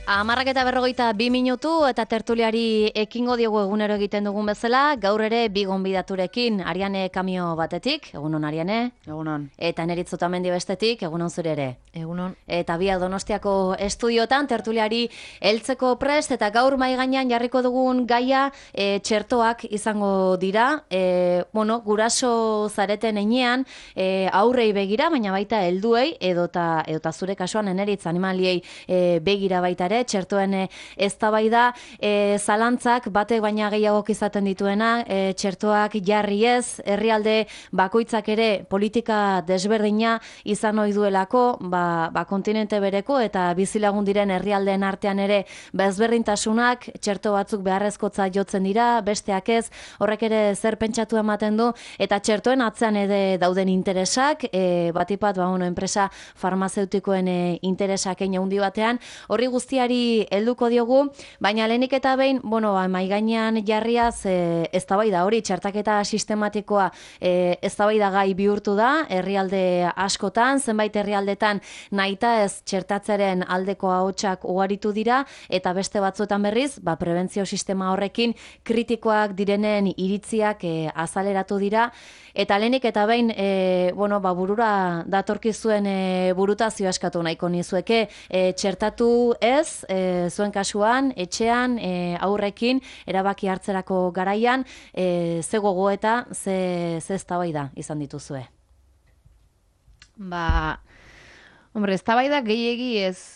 10:42 eta tertuliari ekingo diogu egunero egiten dugun bezala, gaur ere bi gonbidaturekin, Ariane Kamio batetik, egunon Ariane. Egunon. Eta Neritz Otamendi bestetik, egunon zure ere. Egunon. Eta biak Donostiako estudiotan tertuliari heltzeko prest eta gaur mai gainean jarriko dugun gaia txertoak izango dira. Guraso zareten heinean aurrei begira, baina baita helduei edota zure kasuan Neritz animaliei begira baita ere, txertoen eztabaida, zalantzak batek baina gehiagok izaten dituena, txertoak jarri ez, herrialde bakoitzak ere politika desberdina izan ohi duelako, kontinente bereko eta bizilagun diren herrialdeen artean ere ezberdintasunak, txerto batzuk beharrezkotza jotzen dira, besteak ez, horrek ere zer pentsatu ematen du, eta txertoen atzean ere dauden interesak, batipat, enpresa farmazeutikoen interesak hein handi batean, horri guztiari helduko diogu, baina lehenik eta behin, mai gainean jarriaz eztabaida hori, txertaketa sistematikoa eztabaida gai bihurtu da, herrialde askotan, zenbait herrialdetan nahita ez txertatzeren aldeko ahotsak ugaritu dira, eta beste batzuetan berriz, prebentzio sistema horrekin kritikoak direnen iritziak azaleratu dira, eta lehenik eta behin, burura datorkizuen burutazio eskatu nahiko nizueke, txertatu ez, zuen kasuan, etxean, aurrekin, erabaki hartzerako garaian, ze gogo eta ze eztabaida izan dituzue? Eztabaida gehiegi ez,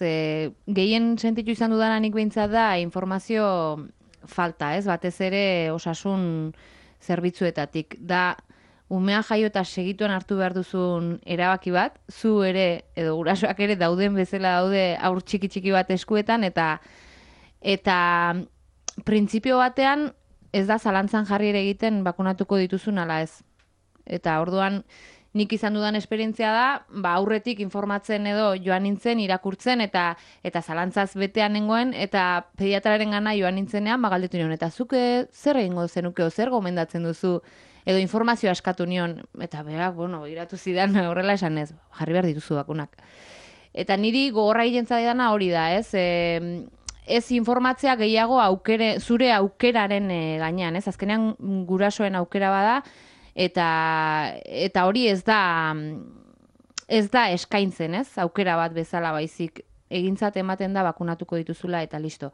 gehien sentitu izan dudananik behintzat da informazio falta, ez? Batez ere osasun zerbitzuetatik. Da, umea jaio eta segituen hartu behar duzun erabaki bat, zu ere, edo gurasoak ere dauden bezala daude aur txiki bat eskuetan, eta printzipio batean ez da zalantzan jarri ere egiten bakunatuko dituzun ala ez. Eta orduan nik izan dudan esperientzia da, aurretik informatzen edo joan nintzen, irakurtzen, eta zalantzaz betean nengoen, eta pediatraren gana joan nintzenean, galdetu nion, eta zuke zer egingo zenuke, zer gomendatzen duzu, edo informazioa eskatu nion, eta berak, iratu zidan horrela esan ez, jarri behar dituzu bakunak. Eta niri gogorra egiten zaidana hori da, ez? Ez informatzea gehiago zure aukeraren gainean, ez? Azkenean gurasoen aukera bada, eta hori ez da eskaintzen, ez? Aukera bat bezala baizik egintzat ematen da bakunatuko dituzula eta listo.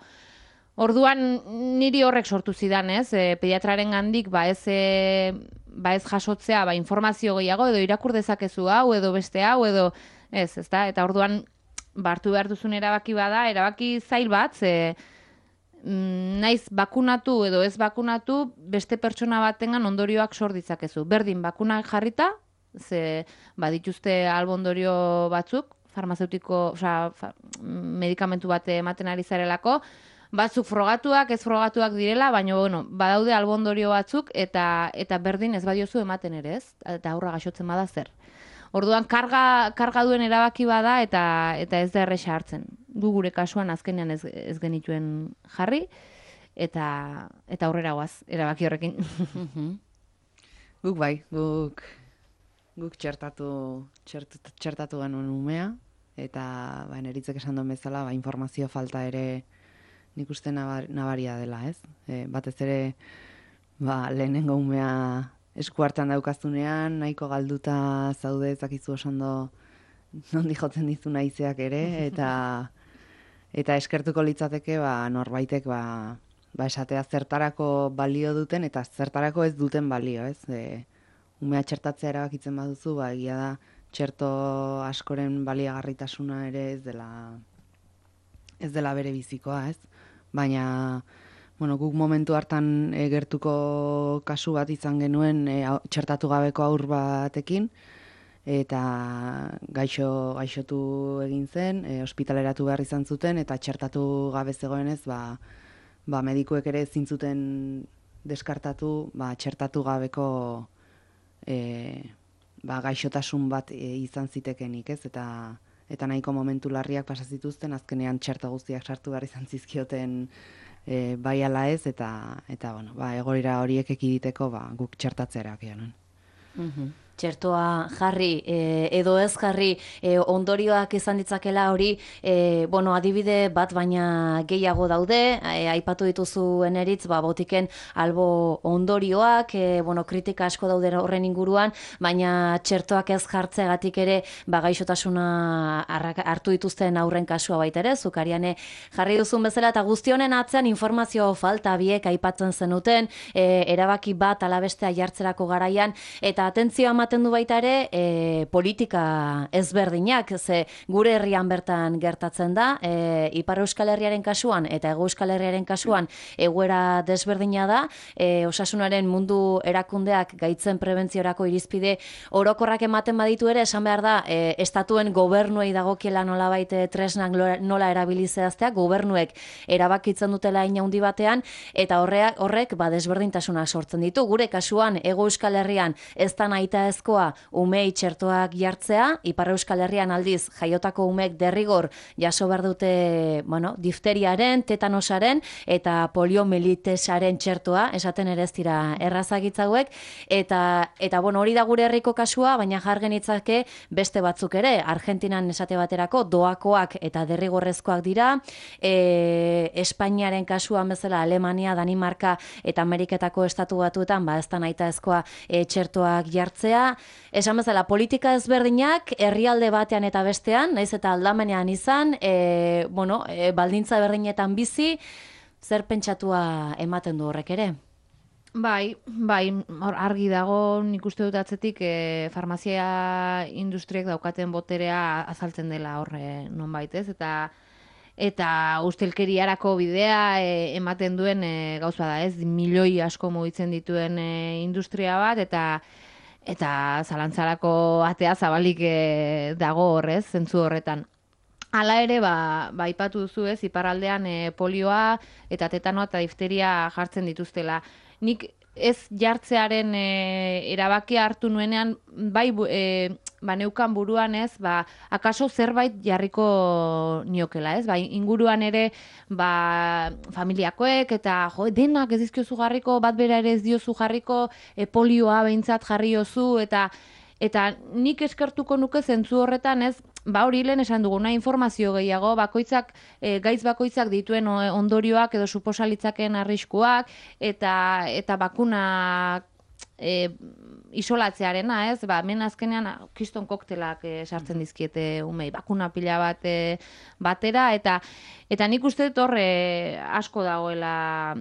Orduan niri horrek sortu zidan, ez? Pediatraren gandik ez jasotzea informazio gehiago edo irakur dezakezu hau edo beste hau edo ez da? Eta orduan hartu behar duzun erabaki bada, erabaki zail bat, naiz bakunatu edo ez bakunatu beste pertsona batengan ondorioak sor ditzakezu. Berdin bakunak jarrita, ze badituzte albondorio batzuk, farmazeutiko, medikamentu bat ematen ari zarelako, batzuk frogatuak, ez frogatuak direla, baina badaude albondorio batzuk eta berdin ez badiozu ematen ere, ez? Eta aurra gaixotzen bada zer. Orduan karga duen erabaki bada eta ez da erresa hartzen. Gu gure kasuan azkenean ez genituen jarri eta aurrera goaz erabaki horrekin. Guk txertatu genuen umea eta Neritzek esan duen bezala informazio falta ere nik uste nabaria dela, ez? Batez ere lehenengo umea esku hartan daukazunean, nahiko galduta zaude ezakizu osondo nondi jotzen dizu naizeak ere, eta eskertuko litzateke norbaitek esatea zertarako balio duten eta zertarako ez duten balio, ez? Umea txertatzea erabakitzen baduzu, egia da txerto askoren baliagarritasuna ere ez dela bere bizikoa, ez? Baina guk momentu hartan gertuko kasu bat izan genuen txertatu gabeko haur batekin, eta gaixotu egin zen, ospitaleratu behar izan zuten, eta txertatu gabe zegoenez, medikuek ere ezin zuten deskartatu, txertatu gabeko gaixotasun bat izan zitekenik, ez? Eta nahiko momentu larriak pasa zituzten, azkenean txerto guztiak sartu behar izan zizkioten bai ala ez, eta egoera horiek ekiditeko guk txertatzea erabakia nuen. txertoa jarri edo ez jarri ondorioak izan ditzakela hori, adibide bat baina gehiago daude, aipatu dituzu eneritz, botiken albo ondorioak, kritika asko daude horren inguruan, baina txertoak ez jartzeagatik ere gaixotasuna hartu dituzten aurren kasua baita ere, zukariane jarri duzun bezala, eta guztionen atzean informazio falta biek aipatzen zenuten, erabaki bat alabestea jartzerako garaian, eta atentzioa ematen du baita ere politika ezberdinak, ze gure herrian bertan gertatzen da, Ipar Euskal Herriaren kasuan eta Hego Euskal Herriaren kasuan egoera desberdina da, osasunaren mundu erakundeak gaitzen prebentziorako irizpide orokorrak ematen baditu ere, esan behar da, estatuen gobernuei dagokiela nolabait tresnak nola erabilizehaztea, gobernuek erabakitzen dutela inaundi batean, eta horrek desberdintasuna sortzen ditu. Gure kasuan, Hego Euskal Herrian ez da nahitaezkoa umei txertoak jartzea, Ipar Euskal Herrian aldiz jaiotako umeek derrigor jaso behar dute, difteriaren, tetanosaren eta poliomelitesaren txertoa, esaten ere ez dira errazagitzauek, eta hori da gure herriko kasua, baina jargen itzake beste batzuk ere, Argentinan esate baterako doakoak eta derrigorrezkoak dira, Espainiaren kasuan bezala Alemania, Danimarka eta Ameriketako estatu batuetan, ez da nahitaezkoa txertoak jartzea. Esan bezala, politika ezberdinak herrialde batean eta bestean, naiz eta aldamenean izan, baldintza berdinetan bizi, zer pentsatua ematen du horrek ere? Bai, argi dago, nik uste dut atzetik farmazia industriek daukaten boterea azaltzen dela horre nonbait, ez? Eta ustelkeriarako bidea ematen duen gauza da, ez? Milioi asko mugitzen dituen industria bat, eta zalantzarako atea zabalik dago horrez, zentzu horretan. Hala ere, ipatu duzu ez, iparraldean polioa eta tetanoa eta difteria jartzen dituztela. Nik ez jartzearen erabakia hartu nuenean, neukan buruan ez, akaso zerbait jarriko niokela ez, inguruan ere, familiakoek eta denak ez dizkiozu jarriko, bat bera ere ez diozu jarriko, polioa behintzat jarriozu, eta nik eskertuko nuke zentzu horretan ez, hori lehen esan duguna informazio gehiago, gaitz bakoitzak dituen ondorioak edo suposalitzaken arriskuak, eta bakunak isolatzearena, ez? Hemen azkenean kriston koktelak sartzen dizkiete umei, bakuna pila bat batera, eta nik uste dut horre asko dagoela,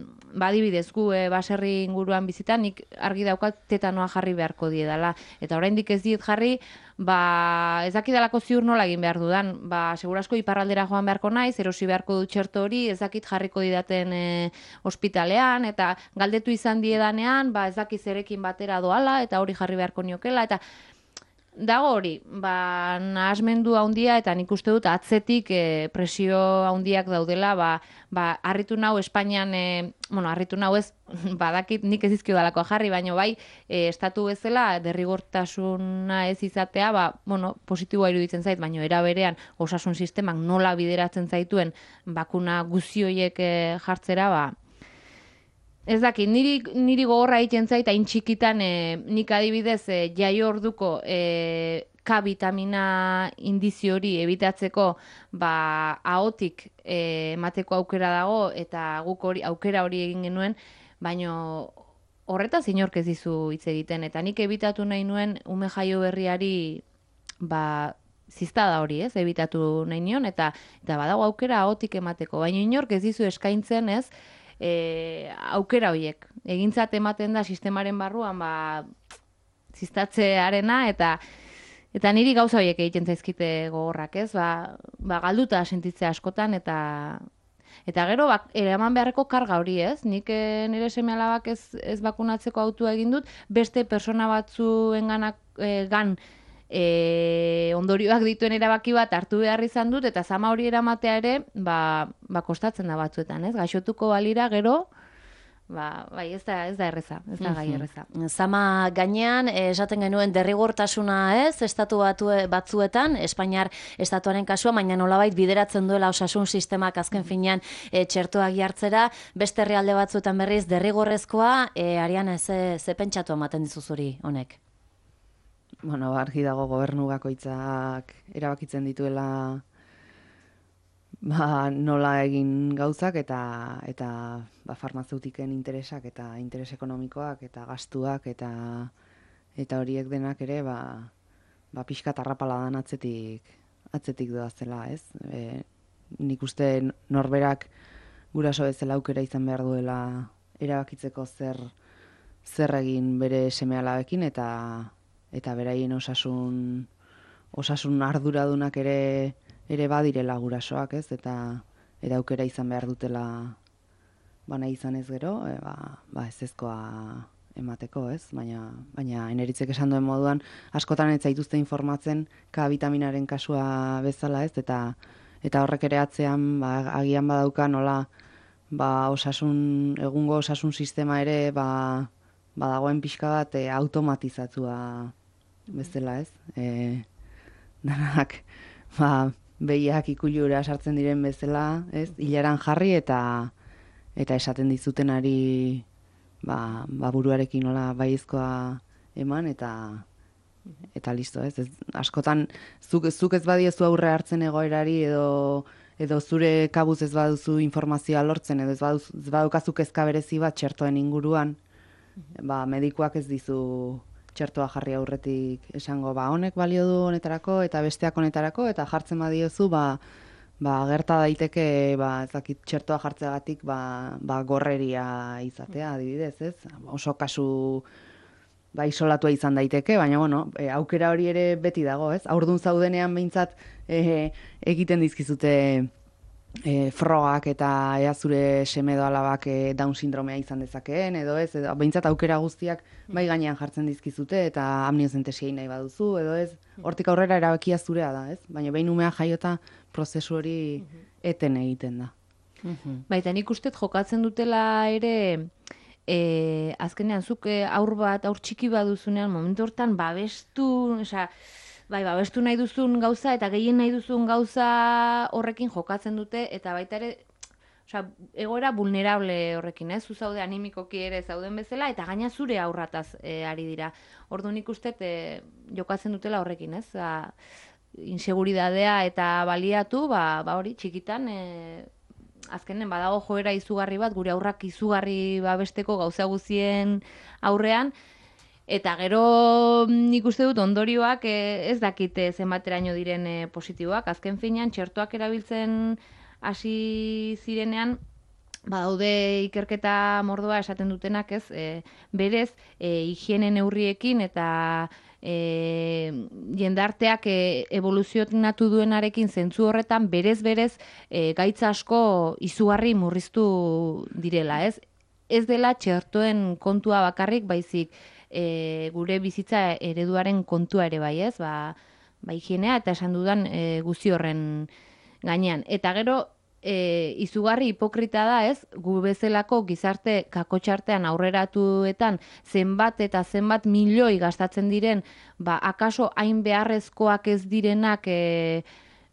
adibidez gu baserri inguruan bizitan, nik argi daukat tetanoa jarri beharko diedala, eta oraindik ez diet jarri, ez dakidalako ziur nola egin behar dudan, segurasko iparraldera joan beharko naiz, erosi beharko dut txerto hori, ez dakit jarriko didaten ospitalean, eta galdetu izan diedanean, ez dakit zerekin batera doala, eta hori jarri beharko niokela, eta dago hori, nahasmendu handia, eta nik uste dut atzetik presio handiak daudela, harritu nau Espainian, harritu nau ez, badakit nik ez izkio dalakoa jarri, baina estatu bezala derrigortasuna ez izatea, positiboa iruditzen zait, baina era berean osasun sistemak nola bideratzen zaituen bakuna guzioiek jartzera, ez dakit, niri gogorra egiten zait, hain txikitan nik adibidez jaio orduko K vitamina indizio hori ebitatzeko ahotik emateko aukera dago, eta guk aukera hori egin genuen, baina horretaz inork ez dizu hitz egiten, eta nik ebitatu nahi nuen ume jaio berriari ziztada hori, ez, ebitatu nahi nion, eta badago aukera ahotik emateko, baina inork ez dizu eskaintzen, ez, aukera horiek. Egintzat ematen da sistemaren barruan ziztatzearena, eta niri gauza horiek egiten zaizkite gogorrak, ez? Galduta sentitzea askotan, eta gero eraman beharreko karga hori, ez? Nik nire seme-alabak ez bakunatzeko autua egin dut, beste persona batzuengan ondorioak dituen erabaki bat hartu behar izan dut, eta zama hori eramatea ere, kostatzen da batzuetan, ez? Gaixotuko balira gero, ez da erreza, ez da gai erreza. Zama gainean, esaten genuen derrigortasuna ez, estatu batzuetan, Espainiar estatuaren kasua, baina nolabait bideratzen duela osasun sistemak azken finean txertoak jartzera, beste herrialde batzuetan berriz derrigorrezkoa, Ariana, ze pentsatu ematen dizuzuri honek? bueno, argi dago gobernu bakoitzak erabakitzen dituela nola egin gauzak eta farmazeutiken interesak eta interes ekonomikoak eta gastuak eta horiek denak ere pixka tarrapaladan atzetik doazela, ez? Nik uste norberak guraso bezala aukera izan behar duela erabakitzeko zer egin bere seme-alabekin eta beraien osasun arduradunak ere badirela gurasoak, ez? Eta aukera izan behar dutela nahi izan ez gero, ezezkoa emateko, ez? Baina Eneritzek esan duen moduan, askotan ez zaituzte informatzen K vitaminaren kasua bezala, ez? Eta horrek ere atzean, agian badauka nola, egungo osasun sistema ere, badagoen pixka bat automatizatua bezala, ez? Danak, behiak ikulura sartzen diren bezala, ez? Hilaran jarri eta esaten dizutenari buruarekin nola baiezkoa eman eta listo, ez? Askotan zuk ez badiezu aurre hartzen egoerari edo zure kabuz ez baduzu informazioa lortzen edo ez badukazu kezka berezi bat txertoen inguruan, medikuak ez dizu txertoa jarri aurretik esango, honek balio du honetarako eta besteak honetarako, eta jartzen badiozu, gerta daiteke, ez dakit txertoa jartzeagatik, gorreria izatea, adibidez, ez? Oso kasu isolatua izan daiteke, baina, aukera hori ere beti dago, ez? Haurdun zaudenean behintzat egiten dizkizute frogak eta ea zure seme edo alabak Down sindromea izan dezakeen, edo ez, behintzat aukera guztiak bai gainean jartzen dizkizute eta amniozentesiei nahi baduzu, edo ez, hortik aurrera erabakia zurea da, ez? Baina behin umea jaiota prozesu hori eten egiten da. Baita nik uste jokatzen dutela ere, azkenean zuk aur txiki baduzunean, momentu hortan babestu nahi duzun gauza eta gehien nahi duzun gauza horrekin jokatzen dute, eta baita ere, egoera vulnerable horrekin, ez? Zu zaude animikoki ere zauden bezala, eta gaina zure aurrataz ari dira. Orduan nik uste jokatzen dutela horrekin, ez? Inseguridadea eta baliatu, hori txikitan, azkenen badago joera izugarri bat, gure aurrak izugarri babesteko gauza guzien aurrean, eta gero nik uste dut ondorioak ez dakite zenbateraino diren positiboak. Azken finean, txertoak erabiltzen hasi zirenean, badaude ikerketa mordoa esaten dutenak, ez? Berez, higiene neurriekin eta jendarteak evoluzionatu duenarekin zentzu horretan berez gaitza asko izugarri murriztu direla, ez? Ez dela txertoen kontua bakarrik, baizik gure bizitza ereduaren kontua ere bai, ez? Higienea eta esan dudan guzti horren gainean. Eta gero, izugarri hipokrita da, ez? Gu bezalako gizarte kakotxartean aurreratuetan zenbat eta zenbat milioi gastatzen diren, akaso hain beharrezkoak ez direnak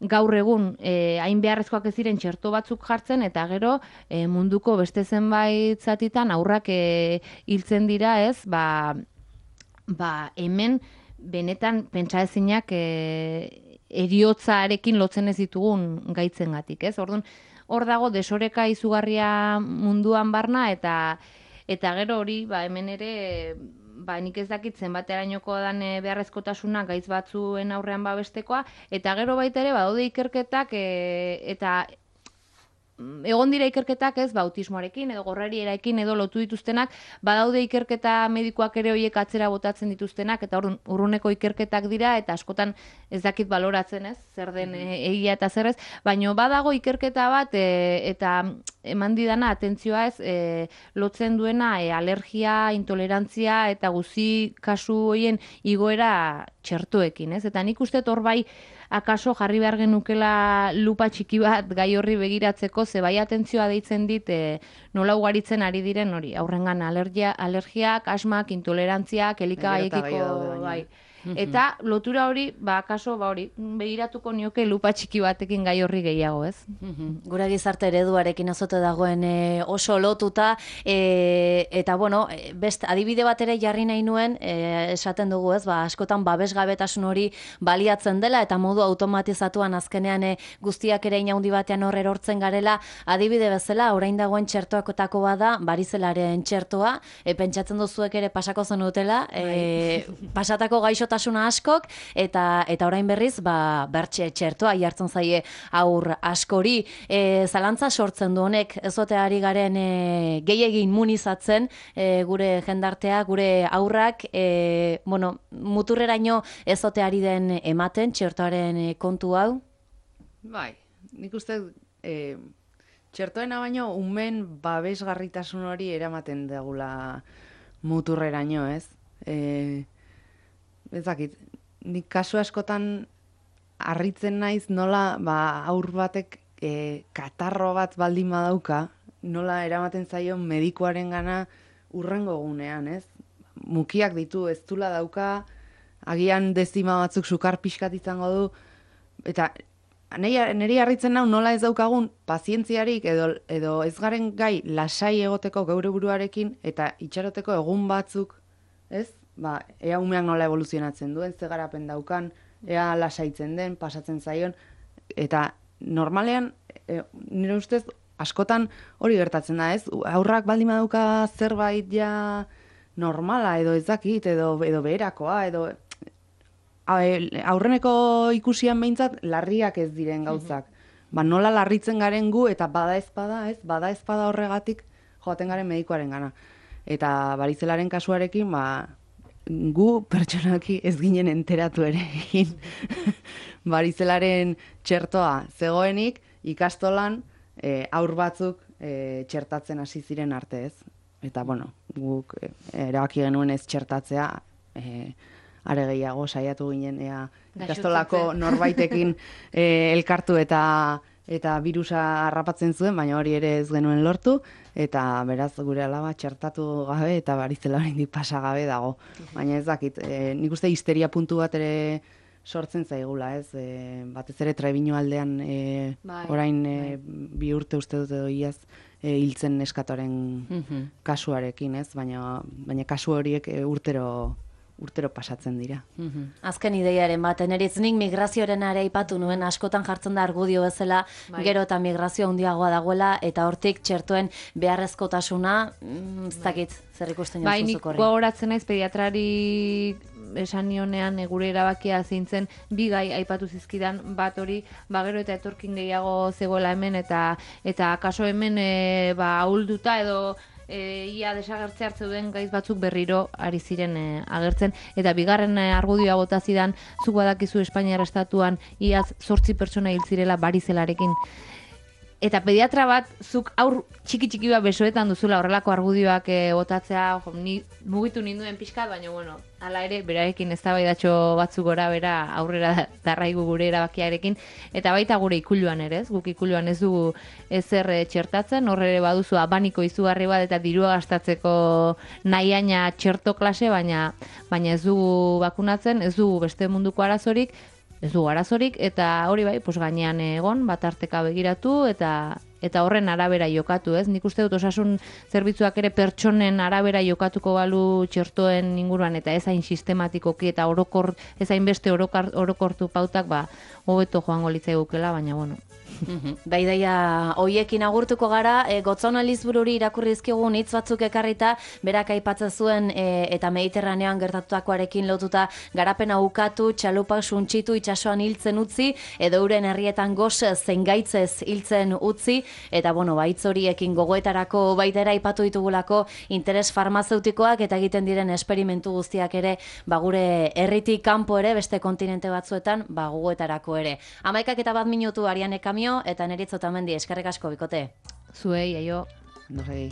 gaur egun hain beharrezkoak ez diren txerto batzuk jartzen, eta gero munduko beste zenbait zatitan aurrak hiltzen dira, ez? Hemen benetan pentsaezinak eriotzarekin lotzen ez ditugun gaitzengatik, ez? Orduan, hor dago desoreka izugarria munduan barna, eta gero hori, hemen ere, nik ez dakit zenbaterainoko dan beharrezkotasuna gaitz batzuen aurrean babestekoa, eta gero baita ere, badaude ikerketak, eta egon dira ikerketak, ez, autismoarekin edo gorrerierarekin edo lotu dituztenak, badaude ikerketa medikoak ere horiek atzera botatzen dituztenak, eta urruneko ikerketak dira, eta askotan ez dakit baloratzen, ez, zer den egia eta zer ez, baina badago ikerketa bat, eta eman didana atentzioa, ez, lotzen duena alergia, intolerantzia eta guzi kasu horien igoera txertoekin, ez, eta nik uste hor bai akaso jarri behar genukela lupa txiki bat gai horri begiratzeko, ze bai atentzioa deitzen dit nola ugaritzen ari diren hori, aurrengan alergiak, asmak, intolerantziak, elikagaiekiko, Eta lotura hori, kaso, hori, begiratuko nioke lupa txiki batekin gai horri gehiago, ez? Gura gizarte ereduarekin azote dagoen oso lotuta, eta bueno, best adibide bat ere jarri nahi nuen, esaten dugu, ez, askotan babesgabetasun hori baliatzen dela, eta modu automatizatuan azkenean guztiak ere inaundi batean hor erortzen garela, adibide bezala, orain dagoen txertoakotako bada, barizelaren txertoa, pentsatzen duzuek ere pasako zenutela, pasatako gaixotasuna askok, eta orain berriz, bertxe txertoa jartzen zaie aur askori. Zalantza sortzen du honek, ezote ari garen gehiegi immunizatzen gure jendartea, gure aurrak, muturreraino ezote ari den ematen txertoaren kontu hau? Bai, nik uste txertoena baino umen babesgarritasun hori eramaten degula muturreraino, ez? Ez dakit, nik kasu askotan harritzen naiz nola aur batek katarro bat baldin badauka, nola eramaten zaion medikuaren gana urrengo gunean, ez? Mukiak ditu, ez dula dauka, agian dezima batzuk sukar pixkat izango du, eta niri harritzen nau nola ez daukagun pazientziarik edo ez garen gai lasai egoteko geure buruarekin eta itxaroteko egun batzuk, ez? Ea umeak nola evoluzionatzen duen, ze garapen daukan, ea lasaitzen den, pasatzen zaion, eta normalean, nire ustez, askotan hori gertatzen da, ez? Aurrak baldin badauka zerbait ja normala, edo ez dakit, edo beherakoa, edo aurreneko ikusian behintzat larriak ez diren gauzak. Nola larritzen garen gu, eta bada ezpada horregatik joaten garen medikuaren gana. Eta barizelaren kasuarekin, gu pertsonalki ez ginen enteratu ere egin. Barizelaren txertoa zegoenik, ikastolan aur batzuk txertatzen hasi ziren arte, ez. Eta, guk erabaki genuen ez txertatzea, are gehiago saiatu ginen ikastolako norbaitekin elkartu eta virusa harrapatzen zuen, baina hori ere ez genuen lortu, eta beraz gure alaba txertatu gabe eta barizela oraindik pasa gabe dago. Baina ez dakit, nik uste histeria puntu bat ere sortzen zaigula, ez? Batez ere Trebino aldean orain 2 urte uste dut edo iaz hiltzen neskatoren kasuarekin, ez? Baina kasu horiek urtero pasatzen dira. Azken ideiaren bat, nik migrazioaren ere aipatu nuen, askotan jartzen da argudio bezala, gero eta migrazio handiagoa dagoela, eta hortik txertoen beharrezkotasuna, ez dakit, zer ikusten joan zuzuk horri. Nik gogoratzen naiz pediatrari esan nionean gure erabakia zintzen, 2 gai aipatu zizkidan, bat hori, gero eta etorkin gehiago zegoela hemen, eta kaso hemen ahulduta edo ia desagertze hartzeuden gaiz batzuk berriro ari ziren agertzen, eta bigarren argudioa bota zidan, zuk badakizu Espainiar estatuan iaz 8 pertsona hil zirela barizelarekin. Eta pediatra bat, zuk aur txiki bat besoetan duzula horrelako argudioak botatzea, ni mugitu ninduen pixkat, baina hala ere, berarekin eztabaidatxo batzuk gora bera aurrera darraigu gure erabakiarekin, eta baita gure ikuluan ere, guk ikuluan ez dugu ezer txertatzen, horre ere baduzu abaniko izugarri bat eta dirua gastatzeko nahiaina txerto klase, baina ez dugu bakunatzen, ez dugu beste munduko arazorik, eta hori bai, gainean egon, bat arteka begiratu, eta horren arabera jokatu, ez? Nik uste dut osasun zerbitzuak ere pertsonen arabera jokatuko balu txertoen inguruan, eta ezain sistematikoki, eta ezain beste orokortu pautak, hobeto joango litzaigukela, baina Baidaia hoiekin agurtuko gara, Gotzona Lizbururi irakurri dizkigun hitz batzuk ekarrita, berak aipatzen zuen eta Mediterranean gertatutakoarekin lotuta garapena ukatu, txalupak suntsitu, itsasoan hiltzen utzi, edo euren herrietan gose zein gaitzez hiltzen utzi, eta hitz horiekin gogoetarako baitera aipatu ditugulako interes farmazeutikoak eta egiten diren esperimentu guztiak ere gure herritik kanpo ere, beste kontinente batzuetan gogoetarako ere. 11:01 minutu Ariane Kamio, eta Neritz Otamendi, eskerrik asko bikote. Zuei, aio. No sei.